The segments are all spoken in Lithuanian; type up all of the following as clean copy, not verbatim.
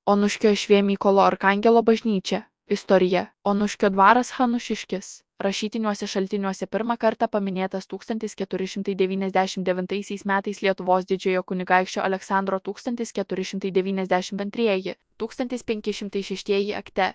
Onuškio Švė Mykolo Arkangelo bažnyčia. Istorija. Onuškio dvaras Hanušiškis. Rašytiniuose šaltiniuose pirmą kartą paminėtas 1499 metais Lietuvos didžiojo kunigaikščio Aleksandro 1492–1506 akte,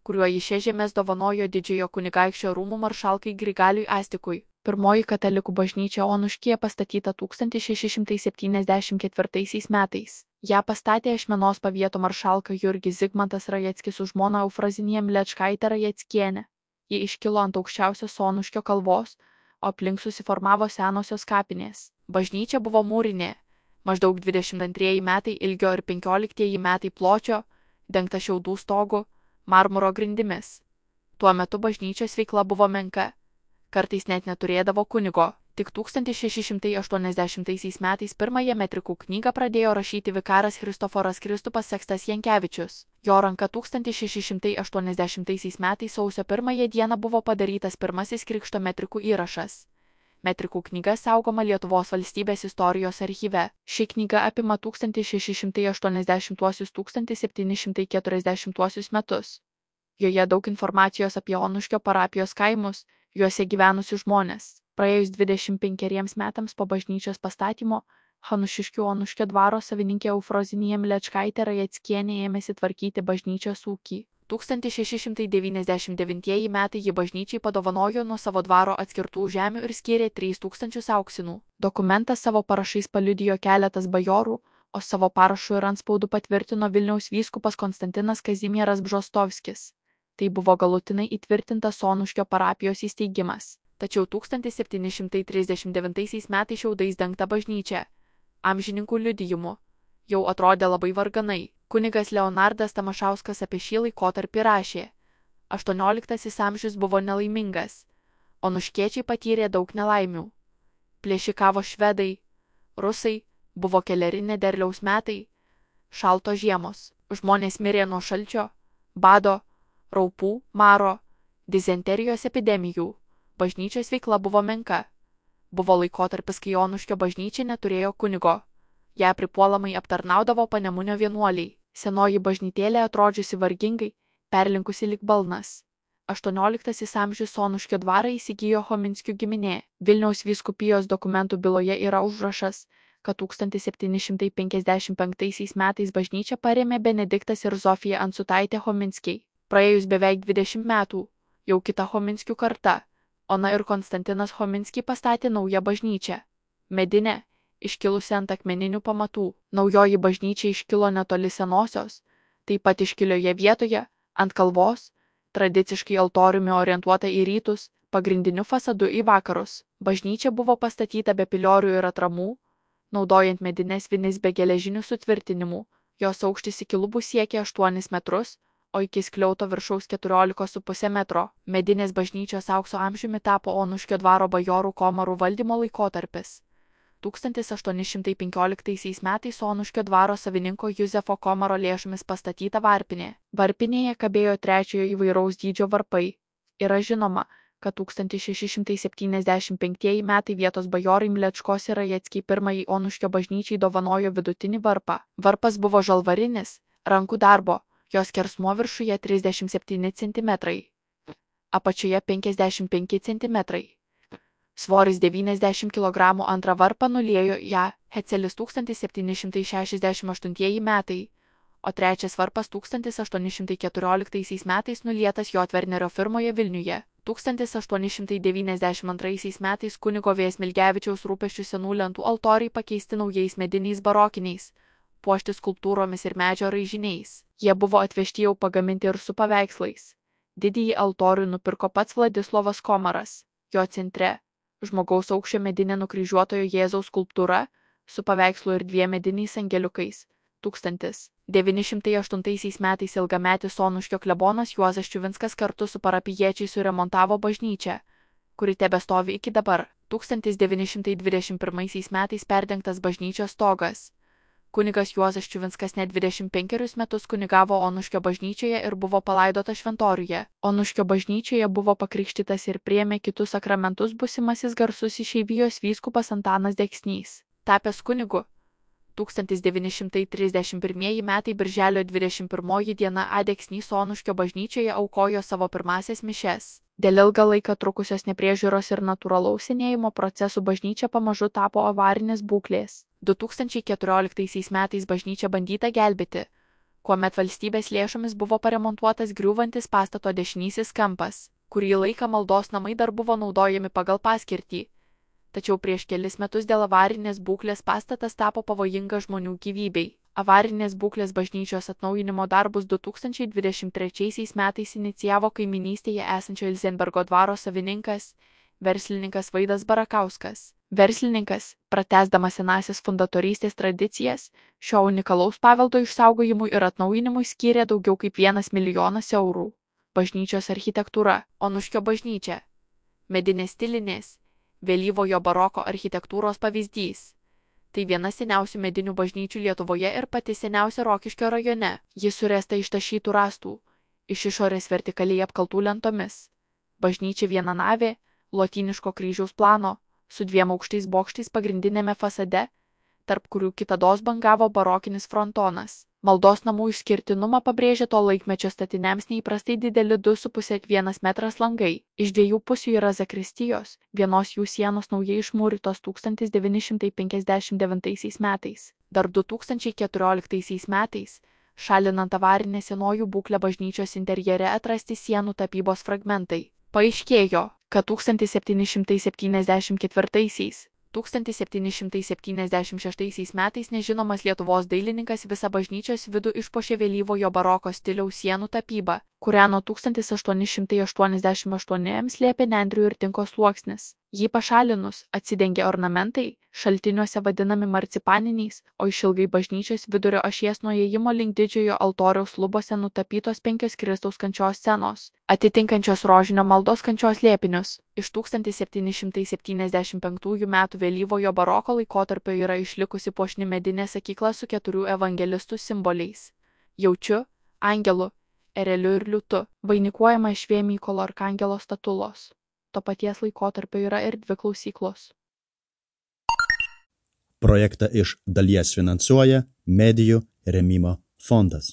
kuriuo jis šias žemes dovanojo didžiojo kunigaikščio rūmų maršalkai Grigaliui Astikui. Pirmoji katalikų bažnyčia Onuškyje pastatyta 1674 metais. Ją pastatė Ašmenos pavieto maršalka Jurgis Zigmantas Rajeckis su žmona Eufrazinija Mlečkaitė Rajeckienė. Ji iškilo ant aukščiausios Onuškio kalvos, o aplink susiformavo senosios kapinės. Bažnyčia buvo mūrinė, maždaug 22 metai ilgio ir 15 metai pločio, dengta šiaudų stogu, marmuro grindimis. Tuo metu bažnyčios veikla buvo menka. Kartais net neturėdavo kunigo. Tik 1680 metais pirmąją metrikų knygą pradėjo rašyti vikaras Kristoforas Kristupas Sekstas Jankevičius. Jo ranka 1680 metais sausio 1 dieną buvo padarytas pirmasis krikšto metrikų įrašas. Metrikų knyga saugoma Lietuvos valstybės istorijos archyve. Ši knyga apima 1680–1740 metus. Joje daug informacijos apie Onuškio parapijos kaimus, juose gyvenusius žmonės. Praėjus 25 metams po bažnyčios pastatymo, Hanušiškių Onuškio dvaro savininkė Eufrazinija Mlečkaitė Rajeckienė ėmėsi tvarkyti bažnyčios ūkį. 1699 metai ji bažnyčiai padovanojo nuo savo dvaro atskirtų žemių ir skyrė 3000 auksinų. Dokumentą savo parašais paliudijo keletas bajorų, o savo parašu ir antspaudu patvirtino Vilniaus vyskupas Konstantinas Kazimieras Bžostovskis. Tai buvo galutinai įtvirtintas Onuškio parapijos įsteigimas. Tačiau 1739 metais šiaudais dengta bažnyčia, amžininkų liudijimu, jau atrodė labai varganai. Kunigas Leonardas Tamašauskas apie šį laikotarpį rašė: 18 amžius buvo nelaimingas, onuškiečiai patyrė daug nelaimių. Plėšikavo švedai, rusai, buvo keleri nederliaus metai, šaltos žiemos, žmonės mirė nuo šalčio, bado, raupų, maro, dizenterijos epidemijų. Bažnyčios veikla buvo menka. Buvo laikotarpis, kai Onuškio bažnyčia neturėjo kunigo. Ją pripuolamai aptarnaudavo Panemunio vienuoliai. Senoji bažnytėlė atrodžiusi vargingai, perlinkusi lyg balnas. 18 amžius Onuškio dvarą įsigijo Chominskių giminė. Vilniaus vyskupijos dokumentų byloje yra užrašas, kad 1755 metais bažnyčią parėmė Benediktas ir Zofija Ansutaitė Chominskiai. Praėjus beveik 20 metų, jau kita Chominskių karta, Ona ir Konstantinas Chominskiai pastatė naują bažnyčią. Medinę, iškilusi ant akmeninių pamatų. Naujoji bažnyčia iškilo netoli senosios, taip pat iškilioje vietoje, ant kalvos, tradiciškai altoriumi orientuota į rytus, pagrindiniu fasadu į vakarus. Bažnyčia buvo pastatyta be piliorių ir atramų, naudojant medines vinis be geležinių sutvirtinimų. Jos aukštis iki lubų siekė 8 metrus, o iki skliauto viršaus 14,5 metro. Medinės bažnyčios aukso amžiumi tapo Onuškio dvaro bajorų komarų valdymo laikotarpis. 1815 metais Onuškio dvaro savininko Juzefo Komaro lėšomis pastatyta varpinė. Varpinėje kabėjo trečiojo įvairaus dydžio varpai. Yra žinoma, kad 1675 metai vietos bajorai Mlečkos ir Rajeckiai pirmąjį Onuškio bažnyčiai dovanojo vidutinį varpą. Varpas buvo žalvarinis, rankų darbo. Jos skersmuo viršuje 37 cm, apačioje 55 cm. Svoris 90 kg. Antrą varpą nuliejo ją Hecelis 1768 metai, o trečias varpas 1814 metais nulietas Jotvernerio firmoje Vilniuje. 1892 metais kunigo V. Smilgevičiaus rūpesčių senų lentų altoriai pakeisti naujais mediniais barokiniais, puošti skulptūromis ir medžio raižiniais. Jie buvo atvežti jau pagaminti ir su paveikslais. Didįjį altorių nupirko pats Vladislovas Komaras. Jo centre žmogaus aukščio medinė nukryžiuotojo Jėzaus skulptūra su paveikslu ir 2 mediniais angeliukais. 1908 metais ilgametis Onuškio klebonas Juozas Čiuvinskas kartu su parapijiečiais suremontavo bažnyčią, kuri tebestovi iki dabar. 1921 metais perdengtas bažnyčios stogas. Kunigas Juozas Čiuvinskas net 25 metus kunigavo Onuškio bažnyčioje ir buvo palaidotas šventoriuje. Onuškio bažnyčioje buvo pakrikštytas ir priėmė kitus sakramentus būsimasis garsus išeivijos vyskupas Antanas Deksnys. Tapęs kunigu, 1931 metai birželio 21 diena Adeksnys Onuškio bažnyčioje aukojo savo pirmąsias mišias. Dėl ilgą laiką trukusios nepriežiūros ir natūralaus senėjimo procesų bažnyčia pamažu tapo avarinės būklės. 2014 metais bažnyčia bandyta gelbėti, kuomet valstybės lėšomis buvo paremontuotas griūvantis pastato dešinysis kampas. Kurį laiką maldos namai dar buvo naudojami pagal paskirtį. Tačiau prieš kelis metus dėl avarinės būklės pastatas tapo pavojinga žmonių gyvybei. Avarinės būklės bažnyčios atnaujinimo darbus 2023 metais inicijavo kaiminystėje esančio Ilzenbergo dvaro savininkas, verslininkas Vaidas Barakauskas. Verslininkas, pratęsdamas senąsias fundatorystės tradicijas, šio unikalaus paveldo išsaugojimui ir atnaujinimui skyrė daugiau kaip 1 milijonas eurų. Bažnyčios architektūra. Onuškio bažnyčia. Medinės stilinės, vėlyvojo baroko architektūros pavyzdys. Tai viena seniausių medinių bažnyčių Lietuvoje ir pati seniausia Rokiškio rajone. Ji suręsta iš tašytų rąstų, iš išorės vertikaliai apkaltų lentomis. Bažnyčia vienanavė, lotyniško kryžiaus plano, su 2 aukštais bokštais pagrindinėme fasade, tarp kurių kitados bangavo barokinis frontonas. Maldos namų išskirtinumą pabrėžia to laikmečio statiniams neįprastai dideli 2,5–1 metras langai. Iš 2 pusių yra zakristijos, vienos jų sienos naujai išmūrytos 1959 metais. Dar 2014 metais, šalinant avarinę senojų būklę bažnyčios interjere atrasti sienų tapybos fragmentai. Paaiškėjo, kad 1774–1776 metais nežinomas Lietuvos dailininkas visą bažnyčios vidų išpuošė vėlyvojo baroko stiliaus sienų tapybą, kurią nuo 1888 slėpė nendrių ir tinko sluoksnis. Jį pašalinus, atsidengė ornamentai, šaltiniuose vadinami marcipaniniais, o išilgai bažnyčios vidurio ašies nuo įėjimo link didžiojo altoriaus lubose nutapytos 5 Kristaus kančios scenos, atitinkančios rožinio maldos kančios slėpinius. Iš 1775 metų vėlyvojo baroko laikotarpio yra išlikusi puošni medinė sakykla su 4 evangelistų simboliais – jaučiu, angelu, ereliu ir liūtu, vainikuojama iš Mykolo arkangelo statulos. To paties laikotarpio yra ir 2 klausyklos. Projektą iš dalies finansuoja Medijų rėmimo fondas.